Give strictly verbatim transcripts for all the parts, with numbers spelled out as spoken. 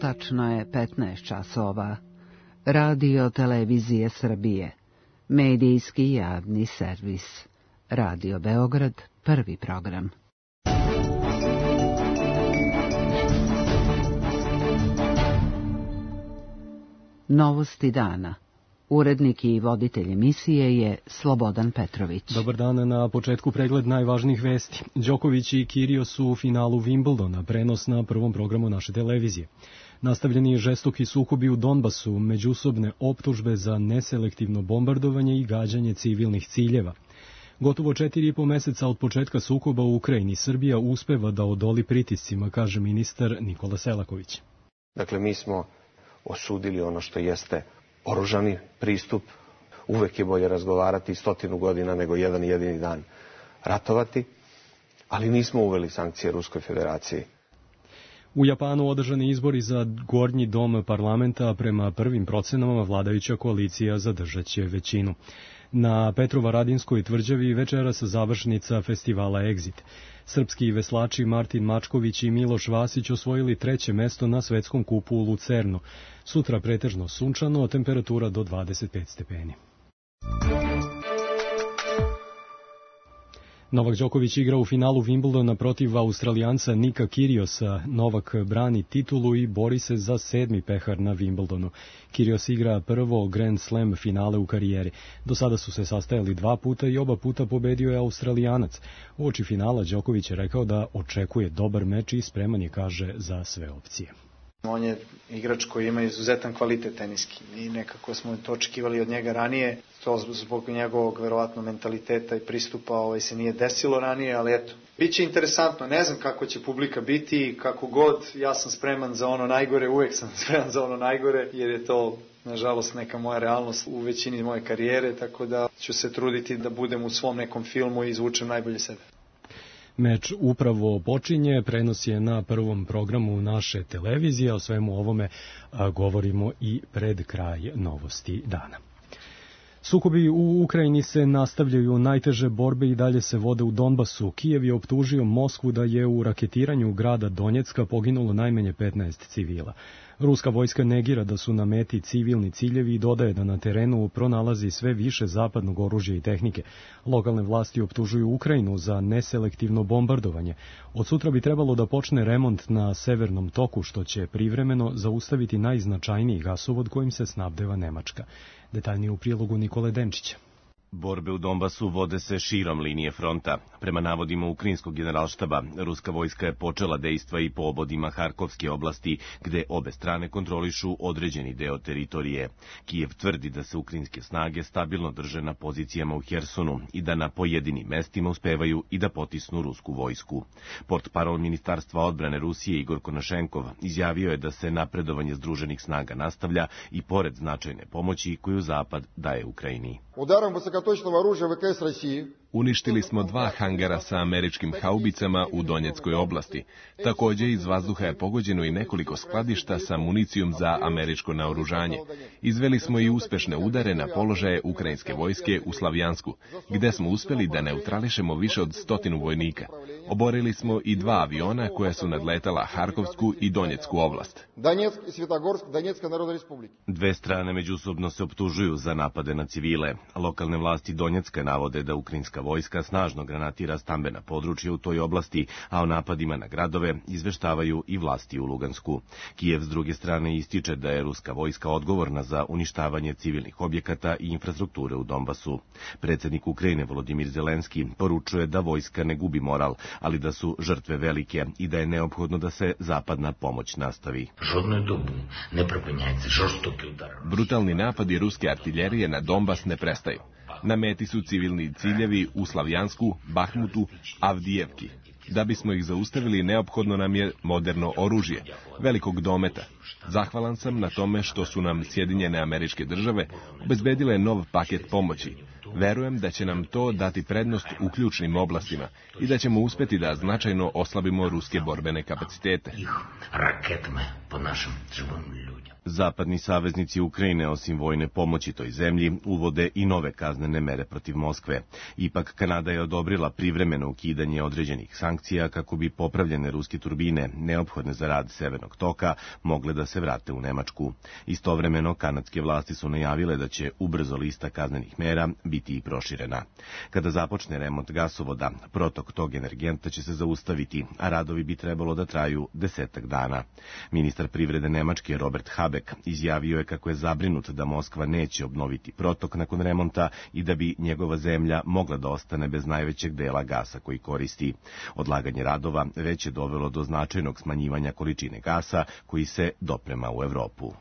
Tačno je petnaest časova. Radio Televizije Srbije. Medijski javni servis. Radio Beograd, prvi program. Novosti dana. Urednik i voditelj emisije je Slobodan Petrović. Dobar dan, na početku pregled najvažnijih vesti. Đoković i Kyrgios su u finalu Wimbledona, prenos na prvom programu naše televizije. Nastavljeni žestoki sukobi u Donbasu, međusobne optužbe za neselektivno bombardovanje i gađanje civilnih ciljeva. Gotovo četiri i po meseca od početka sukoba u Ukrajini, Srbija uspeva da odoli pritiscima, kaže ministar Nikola Selaković. Dakle, mi smo osudili ono što jeste oružani pristup. Uvek je bolje razgovarati stotinu godina nego jedan jedini dan ratovati, ali nismo uveli sankcije Ruskoj federaciji. U Japanu održani izbori za gornji dom parlamenta, prema prvim procenama vladajuća koalicija zadržaće većinu. Na Petrovaradinskoj tvrđavi večeras završnica festivala Exit. Srpski veslači Martin Mačković i Miloš Vasić osvojili treće mesto na svetskom kupu u Lucernu. Sutra pretežno sunčano, temperatura do dvadeset pet stepeni. Novak Đoković igra u finalu Wimbledona protiv Australijanca Nika Kyrgiosa. Novak brani titulu i bori se za sedmi pehar na Wimbledonu. Kyrgios igra prvo Grand Slam finale u karijeri. Do sada su se sastajali dva puta i oba puta pobedio je Australijanac. Uoči finala Đoković je rekao da očekuje dobar meč i spreman je, kaže, za sve opcije. On je igrač koji ima izuzetan kvalitet teniski i nekako smo to očekivali od njega ranije. To zbog njegovog verovatno mentaliteta i pristupa ovaj, se nije desilo ranije, ali eto. Biće interesantno, ne znam kako će publika biti, kako god, ja sam spreman za ono najgore, uvek sam spreman za ono najgore, jer je to, nažalost, neka moja realnost u većini moje karijere, tako da ću se truditi da budem u svom nekom filmu i izvučem najbolje sebe. Meč upravo počinje, prenos je na prvom programu naše televizije, o svemu ovome a, govorimo i pred kraj novosti dana. Sukobi u Ukrajini se nastavljaju, najteže borbe i dalje se vode u Donbasu. Kijev je optužio Moskvu da je u raketiranju grada Donjecka poginulo najmanje petnaest civila. Ruska vojska negira da su na meti civilni ciljevi i dodaje da na terenu pronalazi sve više zapadnog oružja i tehnike. Lokalne vlasti optužuju Ukrajinu za neselektivno bombardovanje. Od sutra bi trebalo da počne remont na Severnom toku, što će privremeno zaustaviti najznačajniji gasovod kojim se snabdeva Nemačka. Detaljnije u prilogu Nikole Denčića. Borbe u Donbasu vode se širom linije fronta. Prema navodima ukrajinskog generalštaba, ruska vojska je počela dejstva i po obodima Harkovske oblasti, gde obe strane kontrolišu određeni deo teritorije. Kijev tvrdi da se ukrajinske snage stabilno drže na pozicijama u Hersonu i da na pojedinim mestima uspevaju i da potisnu rusku vojsku. Portparol Ministarstva odbrane Rusije Igor Konašenkov izjavio je da se napredovanje združenih snaga nastavlja i pored značajne pomoći koju Zapad daje Ukrajini. Udarom высокоточного оружия ВКС России. Uništili smo dva hangara sa američkim haubicama u Donjeckoj oblasti. Također iz vazduha je pogođeno i nekoliko skladišta sa municijom za američko naoružanje. Izveli smo i uspešne udare na položaje ukrajinske vojske u Slavjansku, gde smo uspeli da neutrališemo više od stotinu vojnika. Oborili smo i dva aviona koja su nadletala Harkovsku i Donjecku oblast. Dve strane međusobno se optužuju za napade na civile. Lokalne vlasti Donjecka navode da ukrajinska vojska snažno granatira stambena područja u toj oblasti, a o napadima na gradove izveštavaju i vlasti u Lugansku. Kijev s druge strane ističe da je ruska vojska odgovorna za uništavanje civilnih objekata i infrastrukture u Donbasu. Predsjednik Ukrajine Volodimir Zelenski poručuje da vojska ne gubi moral, ali da su žrtve velike i da je neophodno da se zapadna pomoć nastavi. Brutalni napadi ruske artiljerije na Donbas ne prestaju. Na meti su civilni ciljevi u Slavjansku, Bahmutu, Avdijevki. Da bismo ih zaustavili, neophodno nam je moderno oružje, velikog dometa. Zahvalan sam na tome što su nam Sjedinjene Američke Države obezbedile nov paket pomoći. Verujem da će nam to dati prednost u ključnim oblastima i da ćemo uspeti da značajno oslabimo ruske borbene kapacitete. Zapadni saveznici Ukrajine, osim vojne pomoći toj zemlji, uvode i nove kaznene mere protiv Moskve. Ipak, Kanada je odobrila privremeno ukidanje određenih sankcija kako bi popravljene ruske turbine, neophodne za rad Severnog toka, mogle da se vrate u Nemačku. Istovremeno, kanadske vlasti su najavile da će ubrzo lista kaznenih mera biti i proširena. Kada započne remont gasovoda, protok tog energenta će se zaustaviti, a radovi bi trebalo da traju desetak dana. Ministar privrede Nemačke Robert Habeck izjavio je kako je zabrinut da Moskva neće obnoviti protok nakon remonta i da bi njegova zemlja mogla da ostane bez najvećeg dela gasa koji koristi. Odlaganje radova već je dovelo do značajnog smanjivanja količine gasa koji se doprema u Evropu.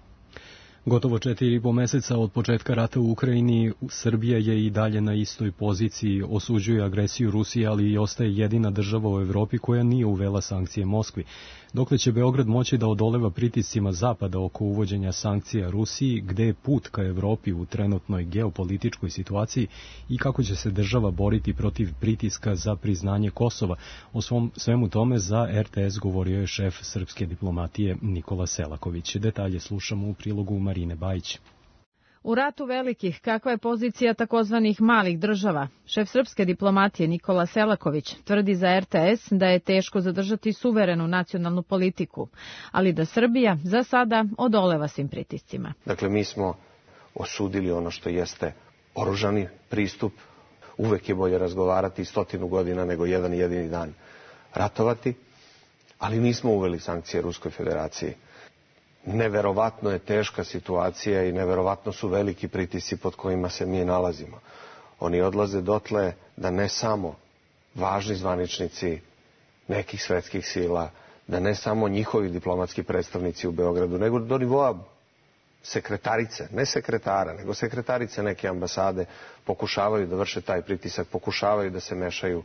Gotovo četiri i po meseca od početka rata u Ukrajini, Srbija je i dalje na istoj poziciji, osuđuje agresiju Rusije, ali i ostaje jedina država u Evropi koja nije uvela sankcije Moskvi. Dokle će Beograd moći da odoleva pritiscima Zapada oko uvođenja sankcija Rusiji, gde je put ka Evropi u trenutnoj geopolitičkoj situaciji i kako će se država boriti protiv pritiska za priznanje Kosova. O svom, svemu tome za R T S govorio je šef srpske diplomatije Nikola Selaković. Detalje slušamo u prilogu Marine Bajić. U ratu velikih, kakva je pozicija takozvanih malih država? Šef srpske diplomatije Nikola Selaković tvrdi za R T S da je teško zadržati suverenu nacionalnu politiku, ali da Srbija za sada odoleva svim pritiscima. Dakle, mi smo osudili ono što jeste oružani pristup. Uvek je bolje razgovarati stotinu godina nego jedan jedini dan ratovati, ali nismo uveli sankcije Ruskoj federaciji. Neverovatno je teška situacija i neverovatno su veliki pritisci pod kojima se mi nalazimo. Oni odlaze dotle da ne samo važni zvaničnici nekih svetskih sila, da ne samo njihovi diplomatski predstavnici u Beogradu, nego do nivoa sekretarice, ne sekretara, nego sekretarice neke ambasade pokušavaju da vrše taj pritisak, pokušavaju da se mešaju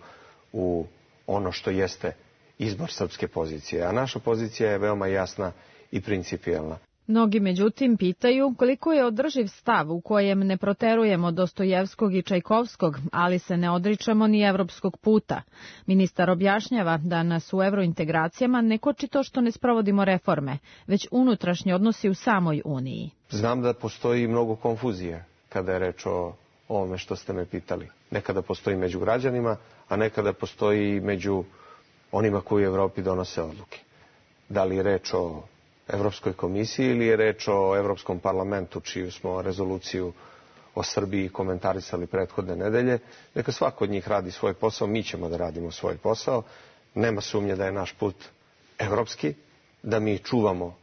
u ono što jeste izbor srpske pozicije. A naša pozicija je veoma jasna i principijelna. Mnogi međutim pitaju koliko je održiv stav u kojem ne proterujemo Dostojevskog i Čajkovskog, ali se ne odričemo ni evropskog puta. Ministar objašnjava da nas u evrointegracijama ne koči to što ne sprovodimo reforme, već unutrašnji odnosi u samoj Uniji. Znam da postoji mnogo konfuzije kada je reč o ovome što ste me pitali. Nekada postoji među građanima, a nekada postoji među onima koji u Evropi donose odluke. Da li je reč o Evropskoj komisiji ili je reč o Evropskom parlamentu, čiju smo rezoluciju o Srbiji komentarisali prethodne nedelje. Neka svako od njih radi svoj posao, mi ćemo da radimo svoj posao. Nema sumnje da je naš put evropski, da mi čuvamo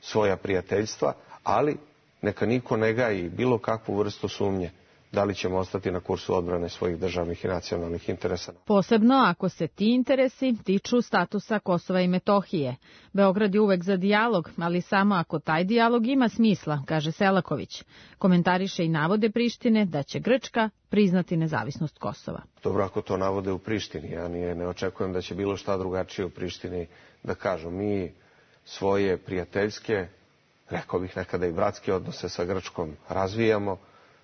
svoja prijateljstva, ali neka niko ne gaji bilo kakvu vrstu sumnje da li ćemo ostati na kursu odbrane svojih državnih i nacionalnih interesa. Posebno ako se ti interesi tiču statusa Kosova i Metohije. Beograd je uvek za dijalog, ali samo ako taj dijalog ima smisla, kaže Selaković. Komentariše i navode Prištine da će Grčka priznati nezavisnost Kosova. Dobro, ako to navode u Prištini, ja nije, ne očekujem da će bilo šta drugačije u Prištini da kažu. Mi svoje prijateljske, rekao bih nekada i bratske odnose sa Grčkom razvijamo.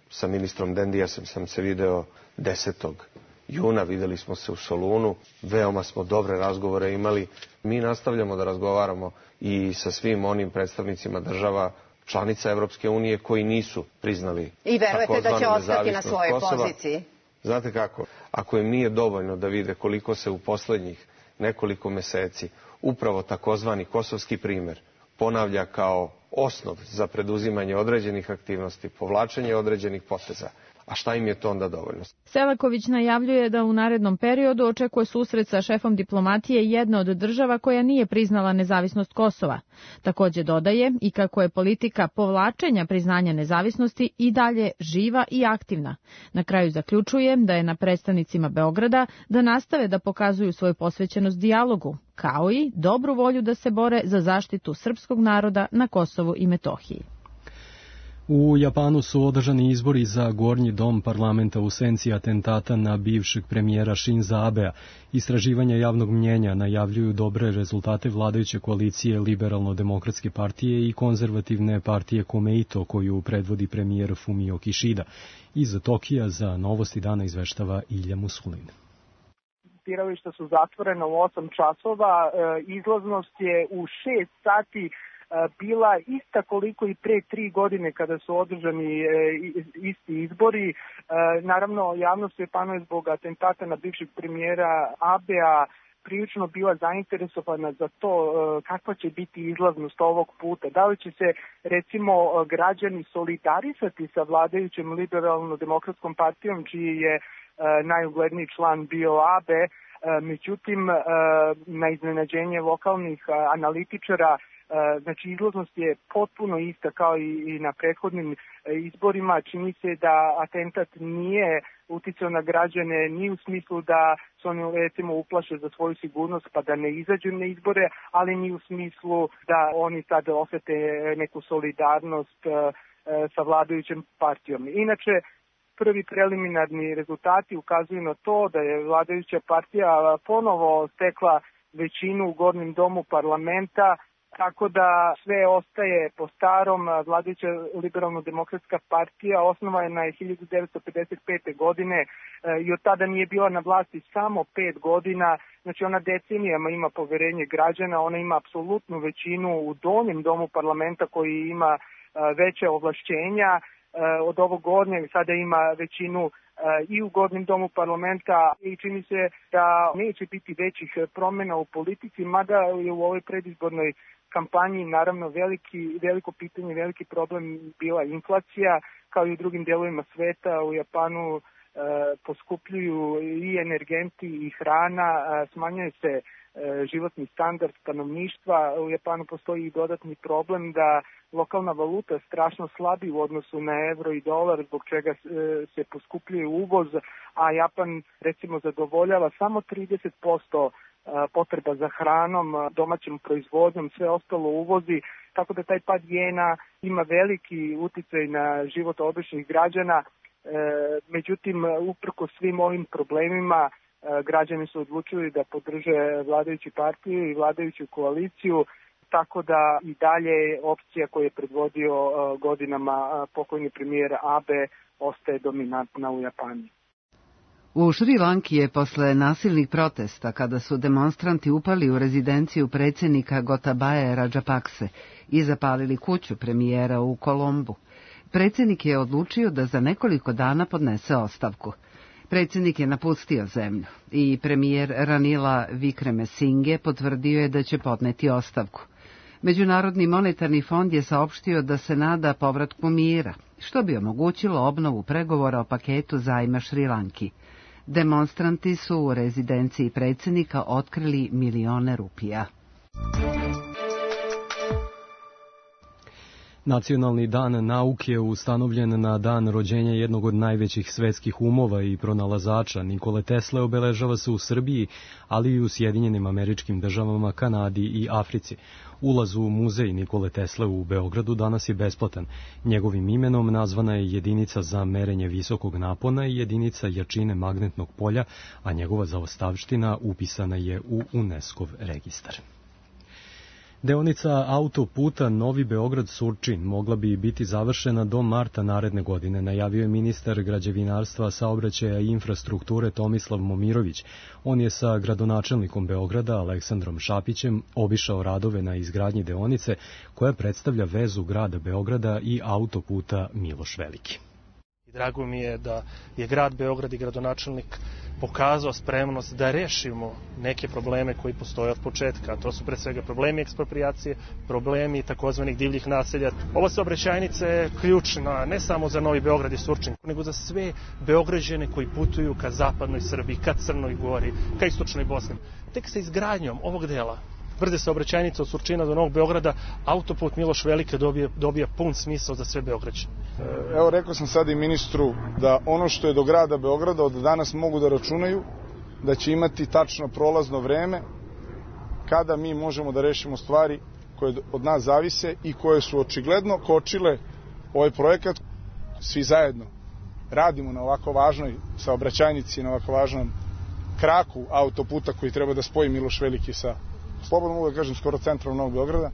Sa ministrom Dendijasom sam se video desetog juna, videli smo se u Solunu, veoma smo dobre razgovore imali. Mi nastavljamo da razgovaramo i sa svim onim predstavnicima država članica Evropske unije koji nisu priznali i verujete da će ostati na svojoj Kosova. Poziciji? Znate kako, ako im nije dovoljno da vide koliko se u poslednjih nekoliko meseci upravo takozvani kosovski primer ponavlja kao osnov za preduzimanje određenih aktivnosti, povlačenje određenih poteza. A šta im je to onda dovoljno? Selaković najavljuje da u narednom periodu očekuje susret sa šefom diplomatije jedne od država koja nije priznala nezavisnost Kosova. Takođe dodaje i kako je politika povlačenja priznanja nezavisnosti i dalje živa i aktivna. Na kraju zaključuje da je na predstavnicima Beograda da nastave da pokazuju svoju posvećenost dijalogu, kao i dobru volju da se bore za zaštitu srpskog naroda na Kosovu i Metohiji. U Japanu su održani izbori za gornji dom parlamenta u senci atentata na bivšeg premijera Shinza Abea. Istraživanja javnog mnjenja najavljuju dobre rezultate vladajuće koalicije Liberalno-demokratske partije i konzervativne partije Komeito, koju predvodi premijer Fumio Kishida. Iz Tokija za Novosti dana izveštava Ilja Musulin. Birališta su zatvorena u osam časova, izlaznost je u šest sati bila ista koliko i pre tri godine kada su održani isti izbori. Naravno, javnost u Japanu je zbog atentata na bivšeg premijera Abea prilično bila zainteresovana za to kakva će biti izlaznost ovog puta. Da li će se, recimo, građani solidarisati sa vladajućem liberalno-demokratskom partijom, čiji je najugledniji član bio Abe. Međutim, na iznenađenje lokalnih analitičara, znači izlaznost je potpuno ista kao i na prethodnim izborima. Čini se da atentat nije uticao na građane ni u smislu da se oni recimo uplaše za svoju sigurnost pa da ne izađu na izbore, ali ni u smislu da oni sad osete neku solidarnost sa vladajućom partijom. Inače, prvi preliminarni rezultati ukazuju na to da je vladajuća partija ponovo stekla većinu u gornjem domu parlamenta, tako da sve ostaje po starom. Vladajuća liberalno-demokratska partija osnovana je hiljadu devetsto pedeset pete. godine i od tada nije bila na vlasti samo pet godina. Znači ona decenijama ima poverenje građana, ona ima apsolutnu većinu u donjem domu parlamenta koji ima veće ovlašćenja od ovog gornjeg, sada ima većinu i u gornjem domu parlamenta i čini se da neće biti većih promjena u politici, mada je u ovoj predizbornoj kampanji naravno veliki, veliko pitanje, veliki problem bila inflacija, kao i u drugim delovima sveta. U Japanu e, poskupljuju i energenti i hrana, e, smanjuje se e, životni standard stanovništva. U Japanu postoji i dodatni problem da lokalna valuta strašno slabi u odnosu na euro i dolar, zbog čega se poskupljuje uvoz, a Japan recimo zadovoljava samo trideset posto potreba za hranom, domaćom proizvodnjom, sve ostalo uvozi, tako da taj pad jena ima veliki uticaj na život običnih građana. Međutim, uprkos svim ovim problemima, građani su odlučili da podrže vladajuću partiju i vladajuću koaliciju, tako da i dalje opcija koju je predvodio godinama pokojni premijer Abe ostaje dominantna u Japanu. U Šri Lanki je posle nasilnih protesta, kada su demonstranti upali u rezidenciju predsjednika Gotabaje Rajapakse i zapalili kuću premijera u Kolombu, predsjednik je odlučio da za nekoliko dana podnese ostavku. Predsjednik je napustio zemlju i premijer Ranila Wickremesinghe potvrdio je da će podneti ostavku. Međunarodni monetarni fond je saopštio da se nada povratku mira, što bi omogućilo obnovu pregovora o paketu zajma Šri Lanki. Demonstranti su u rezidenciji predsjednika otkrili milione rupija. Nacionalni dan nauke je ustanovljen na dan rođenja jednog od najvećih svetskih umova i pronalazača. Nikole Tesle obeležava se u Srbiji, ali i u Sjedinjenim Američkim Državama, Kanadi i Africi. Ulaz u muzej Nikole Tesle u Beogradu danas je besplatan. Njegovim imenom nazvana je jedinica za merenje visokog napona i jedinica jačine magnetnog polja, a njegova zaostavština upisana je u UNESCO-v registar. Deonica autoputa Novi Beograd-Surčin mogla bi biti završena do marta naredne godine, najavio je ministar građevinarstva, saobraćaja i infrastrukture Tomislav Momirović. On je sa gradonačelnikom Beograda, Aleksandrom Šapićem, obišao radove na izgradnji deonice, koja predstavlja vezu grada Beograda i autoputa Miloš Veliki. Drago mi je da je grad Beograd i gradonačelnik pokazao spremnost da rešimo neke probleme koji postoje od početka. To su pre svega problemi eksproprijacije, problemi takozvanih divljih naselja. Ova saobraćajnica je ključna ne samo za Novi Beograd i Surčin, nego za sve Beograđane koji putuju ka zapadnoj Srbiji, ka Crnoj Gori, ka istočnoj Bosni. Tek sa izgradnjom ovog dela brze saobraćajnice od Surčina do Novog Beograda, autoput Miloš Veliki dobija, dobija pun smisao za sve Beograđane. Evo, rekao sam sad i ministru da ono što je do grada Beograda od danas mogu da računaju, da će imati tačno prolazno vreme kada mi možemo da rešimo stvari koje od nas zavise i koje su očigledno kočile ovaj projekat. Svi zajedno radimo na ovako važnoj saobraćajnici, na ovako važnom kraku autoputa koji treba da spoji Miloš Veliki sa, slobodno mogu da kažem, skoro centrom Novog Beograda.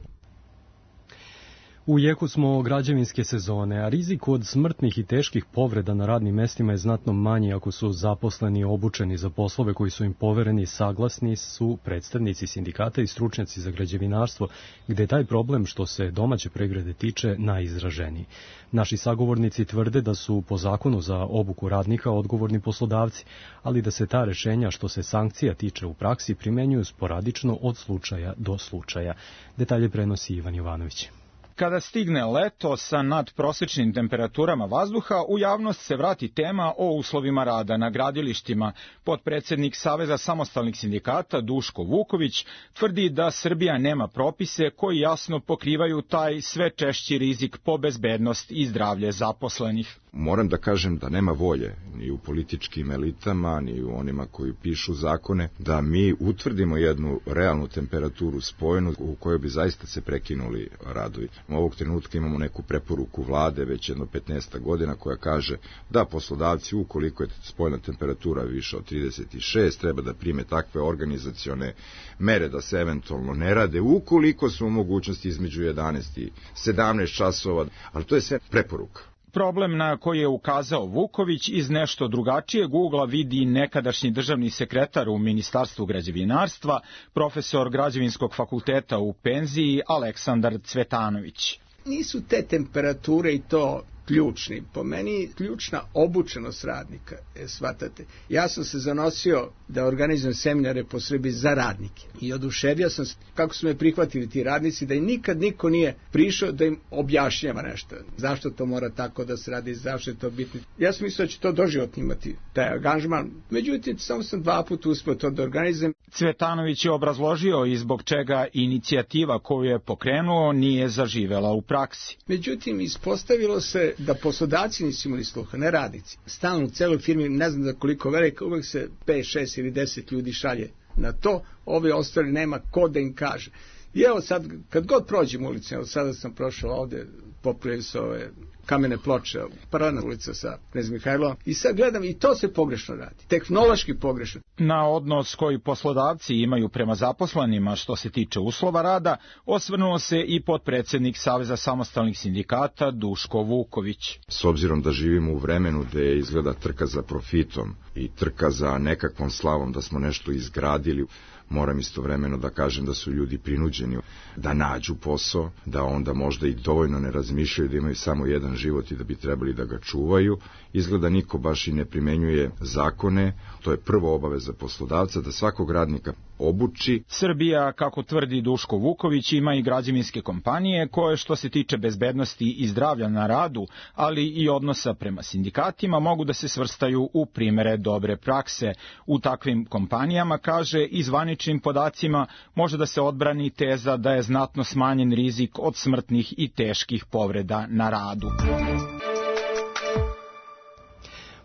U jeku smo građevinske sezone, a rizik od smrtnih i teških povreda na radnim mestima je znatno manji ako su zaposleni i obučeni za poslove koji su im povereni. Saglasni su predstavnici sindikata i stručnjaci za građevinarstvo, gde je taj problem što se domaće privrede tiče najizraženiji. Naši sagovornici tvrde da su po zakonu za obuku radnika odgovorni poslodavci, ali da se ta rešenja što se sankcija tiče u praksi primenjuju sporadično od slučaja do slučaja. Detalje prenosi Ivan Jovanović. Kada stigne leto sa nadprosečnim temperaturama vazduha, u javnost se vrati tema o uslovima rada na gradilištima. Potpredsednik Saveza samostalnih sindikata Duško Vuković tvrdi da Srbija nema propise koji jasno pokrivaju taj sve češći rizik po bezbednost i zdravlje zaposlenih. Moram da kažem da nema volje ni u političkim elitama, ni u onima koji pišu zakone, da mi utvrdimo jednu realnu temperaturu spojenu u kojoj bi zaista se prekinuli radovi. U ovog trenutka imamo neku preporuku vlade već jedno petnaest godina koja kaže da poslodavci, ukoliko je spojna temperatura više od trideset šest, treba da prime takve organizacione mere da se eventualno ne rade, ukoliko su u mogućnosti između jedanaest i sedamnaest časova, ali to je sve preporuka. Problem na koji je ukazao Vuković iz nešto drugačijeg ugla vidi nekadašnji državni sekretar u Ministarstvu građevinarstva, profesor Građevinskog fakulteta u penziji Aleksandar Cvetanović. Nisu te temperature i to ključni. Po meni ključna obučenost radnika, je, shvatate. Ja sam se zanosio da organizujem seminare po Srbiji za radnike i oduševio sam se kako su me prihvatili ti radnici, da im nikad niko nije prišao da im objašnjava nešto. Zašto to mora tako da se radi, zašto je to bitno. Ja sam mislio da će to doživotno imati taj angažman, međutim samo sam dva puta uspio to da organizujem. Cvetanović je obrazložio i zbog čega inicijativa koju je pokrenuo nije zaživela u praksi. Međutim, ispostavilo se da poslodavci nisu imali sluha, ne radnici. Stalno u celoj firmi, ne znam da koliko velika, uvek se pet, šest ili deset ljudi šalje na to, ovi ostali nema ko da im kaže. I evo sad, kad god prođem ulicom, evo sada sam prošao ovde, popravljaju se ove kamene ploče, paralelna ulica sa Knez Mihajlova, i sad gledam i to se pogrešno radi, tehnološki pogrešno. Na odnos koji poslodavci imaju prema zaposlenima što se tiče uslova rada, osvrnuo se i potpredsednik Saveza samostalnih sindikata Duško Vuković. S obzirom da živimo u vremenu gde izgleda trka za profitom i trka za nekakvom slavom da smo nešto izgradili, moram istovremeno da kažem da su ljudi prinuđeni da nađu posao, da onda možda i dovoljno ne razmišljaju da imaju samo jedan život i da bi trebali da ga čuvaju. Izgleda niko baš i ne primenjuje zakone, to je prvo obaveza poslodavca da svakog radnika obuči. Srbija, kako tvrdi Duško Vuković, ima i građevinske kompanije koje što se tiče bezbednosti i zdravlja na radu, ali i odnosa prema sindikatima, mogu da se svrstaju u primere dobre prakse. U takvim kompanijama, kaže, i zvaničnim podacima može da se odbrani teza da je znatno smanjen rizik od smrtnih i teških povreda na radu.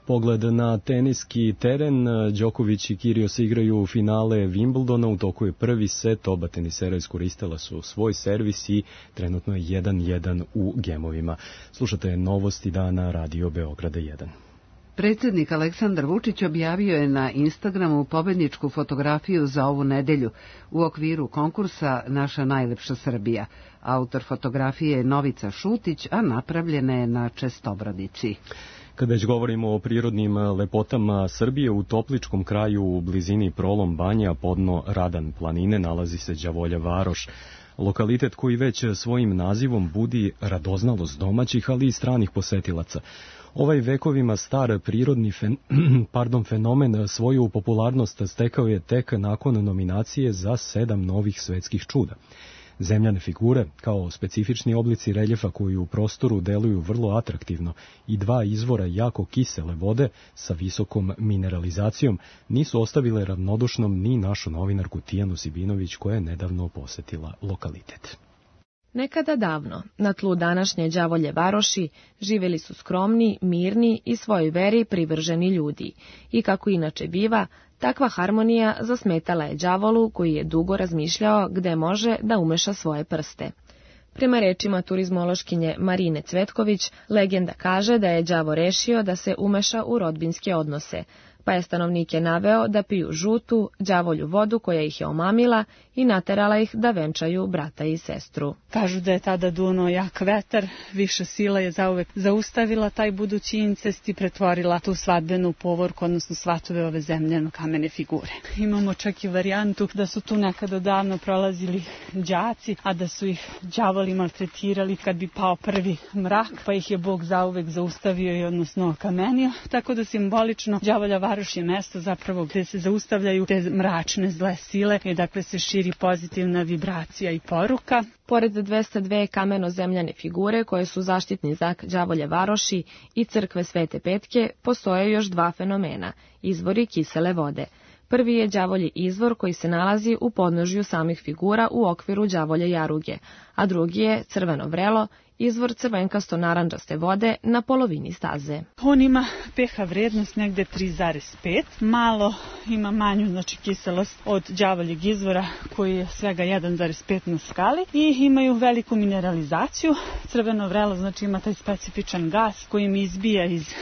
Pogled na teniski teren, Đoković i Kyrgios igraju u finale Wimbledona, u toku je prvi set, oba tenisera iskoristila su svoj servis i trenutno je jedan jedan u gemovima. Slušate novosti dana Radio Beograda jedan. Predsjednik Aleksandar Vučić objavio je na Instagramu pobedničku fotografiju za ovu nedelju u okviru konkursa Naša najlepša Srbija. Autor fotografije je Novica Šutić, a napravljena je na Čestobradici. Kada već govorimo o prirodnim lepotama Srbije, u Topličkom kraju u blizini Prolom Banja, podno Radan planine, nalazi se Đavolja Varoš. Lokalitet koji već svojim nazivom budi radoznalost domaćih, ali i stranih posetilaca. Ovaj vekovima star prirodni fen, pardon, fenomen svoju popularnost stekao je tek nakon nominacije za sedam novih svetskih čuda. Zemljane figure, kao specifični oblici reljefa koji u prostoru deluju vrlo atraktivno, i dva izvora jako kisele vode sa visokom mineralizacijom, nisu ostavile ravnodušnom ni našu novinarku Tijanu Sibinović, koja je nedavno posetila lokalitet. Nekada davno, na tlu današnje Đavolje Varoši, živjeli su skromni, mirni i svojoj veri privrženi ljudi. I kako inače biva, takva harmonija zasmetala je đavolu koji je dugo razmišljao gde može da umeša svoje prste. Prema rečima turizmološkinje Marine Cvetković, legenda kaže da je đavo rešio da se umeša u rodbinske odnose, pa je stanovnike naveo da piju žutu, đavolju vodu koja ih je omamila i naterala ih da venčaju brata i sestru. Kažu da je tada dunuo jak vetar, viša sila je zauvek zaustavila taj budući incest i pretvorila tu svadbenu povorku, odnosno svatove ove zemljeno kamene figure. Imamo čak i varijantu da su tu nekada davno prolazili đaci, a da su ih đavoli maltretirali kad bi pao prvi mrak, pa ih je Bog zauvek zaustavio i odnosno kamenio, tako da simbolično Đavolja varoš je mesto zapravo gde se zaustavljaju te mračne zle sile i dakle se širi pozitivna vibracija i poruka. Pored dvesta dve kameno-zemljane figure koje su zaštitni znak Đavolje varoši i crkve Svete Petke, postoje još dva fenomena, izvori kisele vode. Prvi je đavolji izvor koji se nalazi u podnožju samih figura u okviru đavolje jaruge, a drugi je crveno vrelo, izvor crvenkasto-naranđaste vode na polovini staze. On ima pH vrednost negde tri zarez pet, malo ima manju znači kiselost od đavoljeg izvora koji je svega jedan zarez pet na skali i imaju veliku mineralizaciju. Crveno vrelo znači ima taj specifičan gas koji im izbija iz e,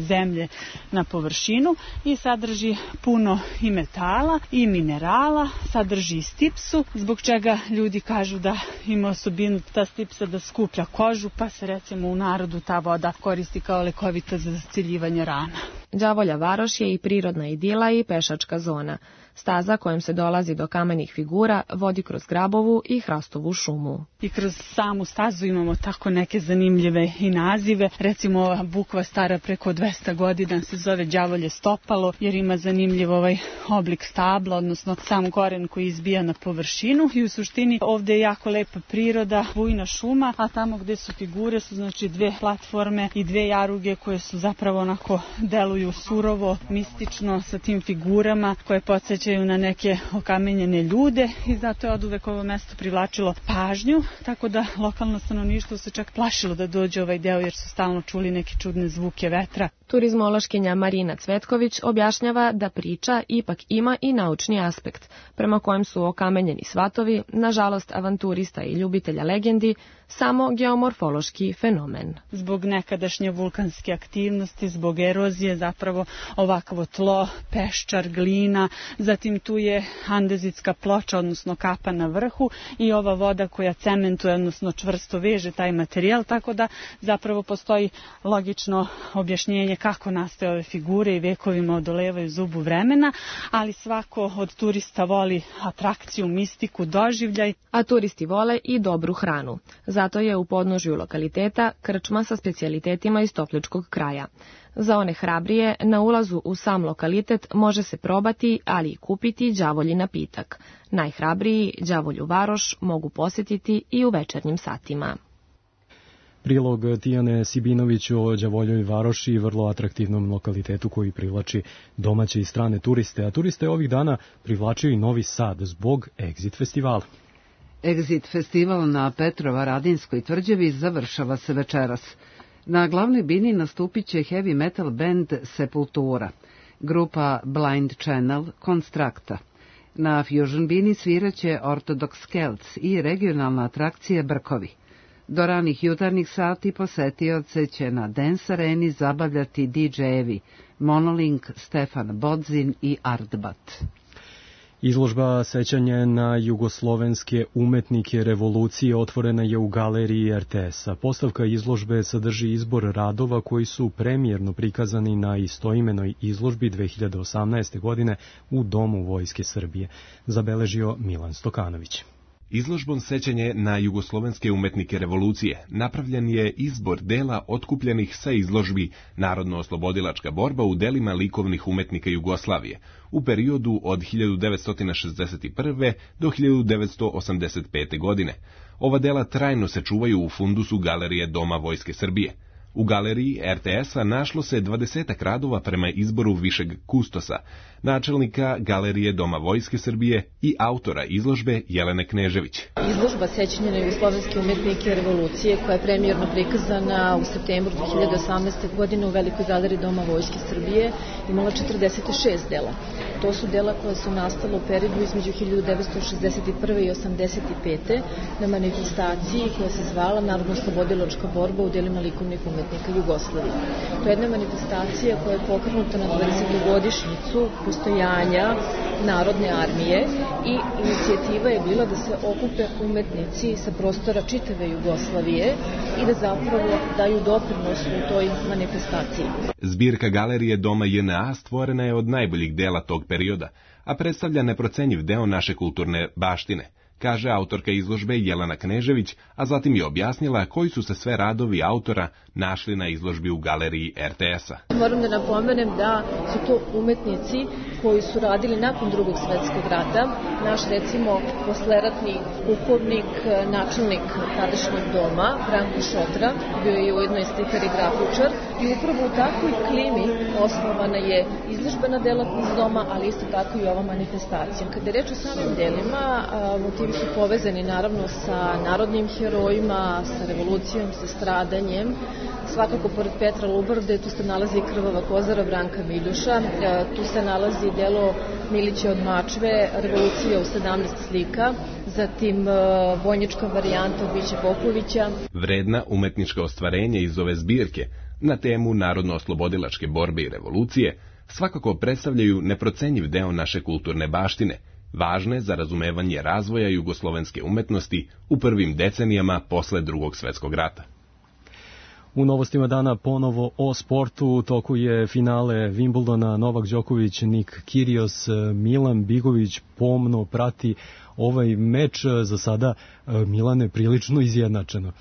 zemlje na površinu i sadrži puno i metala i minerala, sadrži i stipsu, zbog čega ljudi kažu da ima osobinu ta stipsa da skuplja kožu, pa se recimo u narodu ta voda koristi kao lekovita za zaciljivanje rana. Đavolja varoš je i prirodna idila i pešačka zona. Staza kojom se dolazi do kamenih figura vodi kroz grabovu i hrastovu šumu. I kroz samu stazu imamo tako neke zanimljive i nazive. Recimo ova bukva stara preko dvesta godina se zove đavolje stopalo jer ima zanimljiv ovaj oblik stabla, odnosno sam koren koji izbija na površinu i u suštini ovde je jako lepa priroda, bujna šuma, a tamo gde su figure su znači dve platforme i dve jaruge koje su zapravo onako deluju surovo, mistično sa tim figurama koje podsjećaju na neke okamenjene ljude i zato je oduvek ovo mesto privlačilo pažnju, tako da lokalno stanovništvo se čak plašilo da dođe ovaj deo jer su stalno čuli neke čudne zvuke vetra. Turizmološkinja Marina Cvetković objašnjava da priča ipak ima i naučni aspekt, prema kojem su okamenjeni svatovi, nažalost avanturista i ljubitelja legendi, samo geomorfološki fenomen. Zbog nekadašnje vulkanske aktivnosti, zbog erozije zapravo ovakvo tlo, peščar, glina, zatim tu je andezitska ploča, odnosno kapa na vrhu i ova voda koja cementuje, odnosno čvrsto veže taj materijal, tako da zapravo postoji logično objašnjenje kako nastaje ove figure i vekovima odolevaju zubu vremena, ali svako od turista voli atrakciju, mistiku, doživljaj. A turisti vole i dobru hranu. Zato je u podnožju lokaliteta krčma sa specijalitetima iz Topličkog kraja. Za one hrabrije, na ulazu u sam lokalitet može se probati, ali i kupiti đavolji napitak. Najhrabriji đavolju varoš mogu posjetiti i u večernjim satima. Prilog Tijane Sibinović o đavoljoj varoši i vrlo atraktivnom lokalitetu koji privlači domaće i strane turiste, a turiste ovih dana privlačio i Novi Sad zbog Exit festivala. Exit festival na Petrovaradinskoj tvrđavi završava se večeras. Na glavnoj bini nastupit će heavy metal band Sepultura, grupa Blind Channel Constructa. Na Fusion bini sviraće Orthodox Celts i regionalna atrakcija Brkovi. Do ranih jutarnjih sati posetioce će na Dance Areni zabavljati didžejevi Monolink, Stefan Bodzin i Artbat. Izložba sećanja na jugoslovenske umetnike revolucije otvorena je u galeriji er te es-a. Postavka izložbe sadrži izbor radova koji su premijerno prikazani na istoimenoj izložbi dve hiljade osamnaeste. godine u Domu Vojske Srbije, zabeležio Milan Stokanović. Izložbom sećanje na jugoslovenske umetnike revolucije napravljen je izbor dela otkupljenih sa izložbi Narodno-oslobodilačka borba u delima likovnih umetnika Jugoslavije u periodu od hiljadu devetsto šezdeset prve. do hiljadu devetsto osamdeset pete. godine. Ova dela trajno se čuvaju u fundusu Galerije Doma Vojske Srbije. U galeriji er te es-a našlo se dvadesetak radova prema izboru višeg kustosa, načelnika Galerije Doma Vojske Srbije i autora izložbe Jelene Knežević. Izložba sećanja na jugoslovenske umetnike revolucije, koja je premijerno prikazana u septembru dve hiljade osamnaeste. godine u Velikoj galeriji Doma Vojske Srbije, imala četrdeset šest dela. To su dela koja su nastala u periodu između hiljadu devetsto šezdeset prve i osamdeset pete na manifestaciji koja se zvala Narodno-oslobodilačka borba u delima likovnih umetnika Jugoslavije. To je jedna manifestacija koja je pokrenuta na dvadesetogodišnjicu postojanja Narodne armije i inicijativa je bila da se okupe umetnici sa prostora čitave Jugoslavije i da zapravo daju doprinos u toj manifestaciji. Zbirka galerije Doma J N A stvorena je od najboljih dela tog perioda, a predstavlja neprocenjiv deo naše kulturne baštine, kaže autorka izložbe Jelena Knežević, a zatim je objasnila koji su se sve radovi autora našli na izložbi u galeriji R T S-a. Moram da napomenem da su to umetnici koji su radili nakon drugog svetskog rata. Naš, recimo, posleratni pukovnik, načelnik tadašnjeg doma, Branko Šotra, bio je ujedno i slikar i grafičar, i upravo u takvoj klimi osnovana je izložbena delatnost doma, ali isto tako i ova manifestacija. Kada je reč o samim delima, motivi su povezani naravno sa narodnim herojima, sa revolucijom, sa stradanjem. Svakako, pored Petra Lubarde, tu se nalazi Krvava kozara Branka Miljuša, tu se nalazi delo Milića od Mačve, Revolucija u sedamnaest slika, zatim vojnička varijanta Biće Popovića. Vredna umetnička ostvarenja iz ove zbirke na temu narodno-oslobodilačke borbe i revolucije svakako predstavljaju neprocenjiv deo naše kulturne baštine, važne za razumevanje razvoja jugoslovenske umetnosti u prvim decenijama posle drugog svetskog rata. U novostima dana ponovo o sportu, u toku je finale Wimbledona, Novak Đoković, Nik Kyrgios, Milan Bigović pomno prati ovaj meč. Za sada Milane prilično izjednačeno.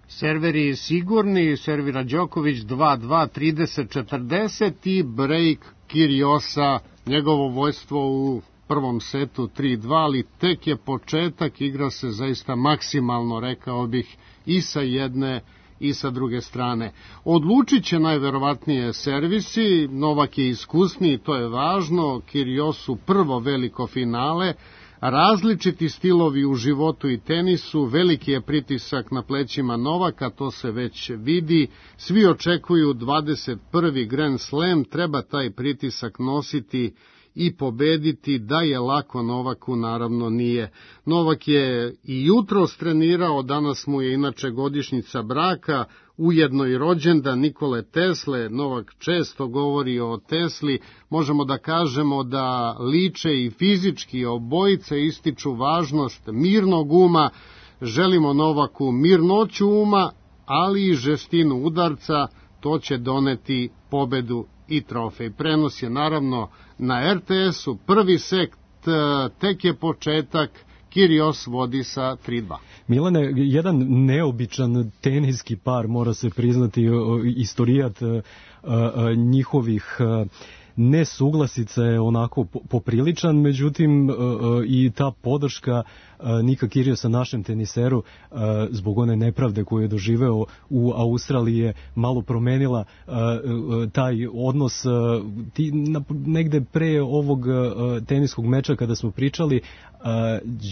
Serveri sigurni, servira Đoković dva dva, trideset četrdeset i break Kyrgiosa, njegovo vojstvo u prvom setu tri dva, ali tek je početak, igra se zaista maksimalno, rekao bih, i sa jedne i sa druge strane. Odlučit će najverovatnije servisi, Novak je iskusniji, to je važno, Kyrgiosu prvo veliko finale, različiti stilovi u životu i tenisu, veliki je pritisak na plećima Novaka, to se već vidi, svi očekuju dvadeset prvi Grand Slam, treba taj pritisak nositi i pobediti, da je lako Novaku, naravno nije. Novak je i jutro trenirao, danas mu je inače godišnjica braka, ujedno i rođendan Nikole Tesle. Novak često govori o Tesli, možemo da kažemo da liče i fizički, obojice ističu važnost mirnog uma, želimo Novaku mirnoću uma, ali i žestinu udarca, to će doneti pobedu i trofej. Prenos je naravno na R T S-u, prvi set, tek je početak, Kyrgios vodi sa tri dva. Milane, jedan neobičan teniski par, mora se priznati, istorijat njihovih nesuglasica je onako popriličan, međutim i ta podrška Nika Kyrgiosa našem teniseru zbog one nepravde koju je doživeo u Australiji je malo promenila taj odnos. Ti, negde pre ovog teniskog meča kada smo pričali,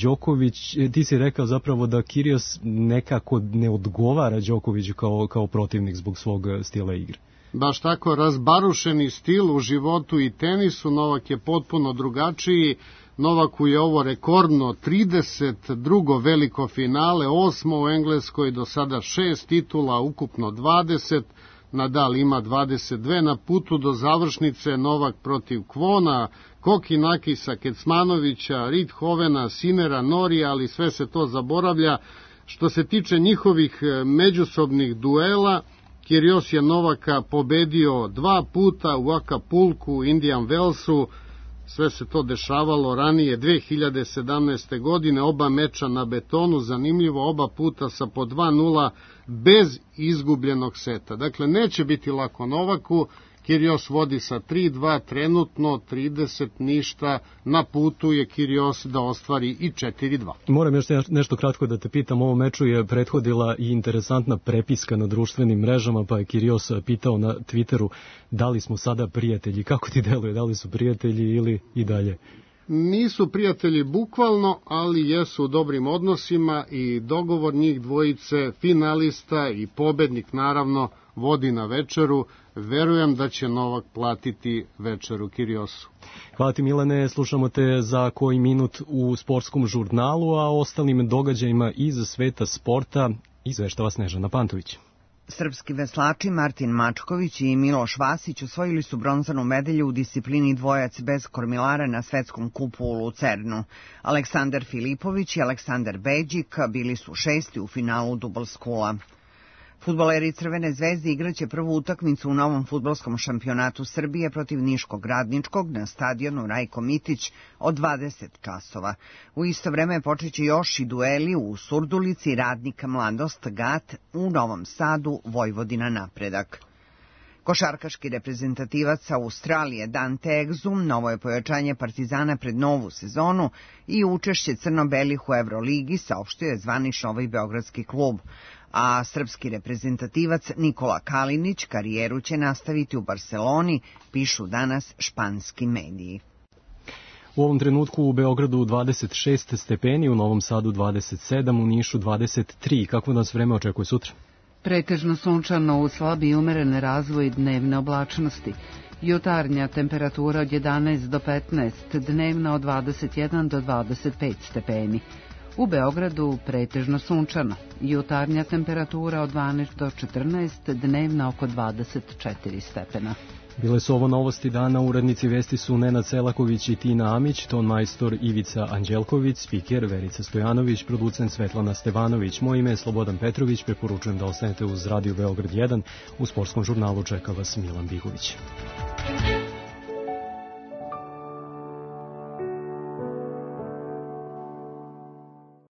Đoković, ti si rekao zapravo da Kyrgios nekako ne odgovara Đokoviću kao, kao protivnik zbog svog stila igre. Baš tako, razbarušeni stil u životu i tenisu, Novak je potpuno drugačiji. Novaku je ovo rekordno trideset drugo veliko finale, osmo u Engleskoj, do sada šest titula, ukupno dvadeset. Nadal ima dvadeset dve, na putu do završnice Novak protiv Kvona, Kokinakisa, Kecmanovića, Rithovena, Sinera, Norija, ali sve se to zaboravlja. Što se tiče njihovih međusobnih duela, Kyrgios je Novaka pobedio dva puta u Acapulcu, Indian Wellsu, sve se to dešavalo ranije dve hiljade sedamnaeste. godine, oba meča na betonu, zanimljivo, oba puta sa po dva nula bez izgubljenog seta. Dakle, neće biti lako Novaku, Kyrgios vodi sa tri dva, trenutno trideset ništa, na putu je Kyrgios da ostvari i četiri dva. Moram još nešto kratko da te pitam, ovom meču je prethodila i interesantna prepiska na društvenim mrežama, pa je Kyrgios pitao na Twitteru da li smo sada prijatelji, kako ti deluje, da li su prijatelji ili i dalje? Nisu prijatelji bukvalno, ali jesu u dobrim odnosima i dogovor njih dvojice, finalista i pobednik naravno, vodi na večeru. verujem da će Novak platiti večeru Kiriosu. Hvala ti Milane, slušamo te za koji minut u sportskom žurnalu, a o ostalim događajima iz sveta sporta izveštava Snežana Pantović. Srpski veslači Martin Mačković i Miloš Vasić osvojili su bronzanu medalju u disciplini dvojac bez kormilara na svetskom kupu u Lucernu. Aleksandar Filipović i Aleksandar Beđik bili su šesti u finalu dubl skula. Fudbaleri Crvene zvezde igraće prvu utakmicu u novom fudbalskom šampionatu Srbije protiv Niškog Radničkog na stadionu Rajko Mitić od dvadeset časova. U isto vreme počeće još i dueli u Surdulici Radnika Mladost Gat, u Novom Sadu Vojvodina Napredak. Košarkaški reprezentativac Australije Dante Exum novo je pojačanje Partizana pred novu sezonu i učešće crno-belih u Evroligi, saopštio je zvanično ovaj beogradski klub. A srpski reprezentativac Nikola Kalinić karijeru će nastaviti u Barseloni, pišu danas španski mediji. U ovom trenutku u Beogradu dvadeset šest stepeni, u Novom Sadu dvadeset sedam, u Nišu dvadeset tri. Kako nas vreme očekuje sutra? Pretežno sunčano uz slabi i umerene razvoj dnevne oblačnosti. Jutarnja temperatura od jedanaest do petnaest, dnevna od dvadeset jedan do dvadeset pet stepeni. U Beogradu pretežno sunčano, jutarnja temperatura od dvanaest do četrnaest, dnevna oko dvadeset četiri stepena. Bile su ovo novosti dana, urednici vesti su Nenad Selaković i Tina Amić, ton majstor Ivica Anđelković, spiker Verica Stojanović, producent Svetlana Stevanović. Moje ime je Slobodan Petrović, preporučujem da ostanete uz Radio Beograd jedan, u sportskom žurnalu čeka vas Milan Bigović.